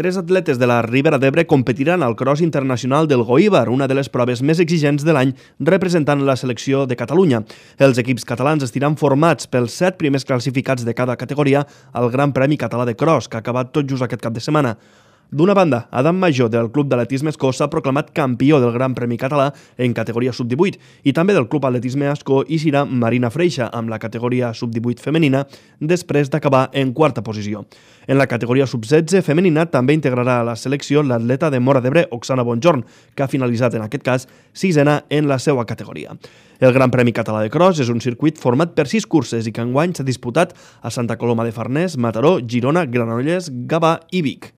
Tres atletes de la Ribera d'Ebre competiran al Cross Internacional del Goíbar, una de les proves més exigents de l'any representant la selecció de Catalunya. Els equips catalans estiran formats pels 7 primers classificats de cada categoria al Gran Premi Català de Cross, que ha acabat tot just aquest cap de setmana. D'una banda, Adam Major, del Club d'Atletisme Escó, s'ha proclamat campió del Gran Premi Català en categoria sub-18 i també del Club Atletisme Escó hi serà Marina Freixa amb la categoria sub-18 femenina després d'acabar en quarta posició. En la categoria sub-16 femenina també integrarà a la selecció l'atleta de Móra d'Ebre, Oksana Bonjorn, que ha finalitzat en aquest cas sisena en la seva categoria. El Gran Premi Català de Cross és un circuit format per 6 curses i que enguany s'ha disputat a Santa Coloma de Farners, Mataró, Girona, Granollers, Gavà i Vic.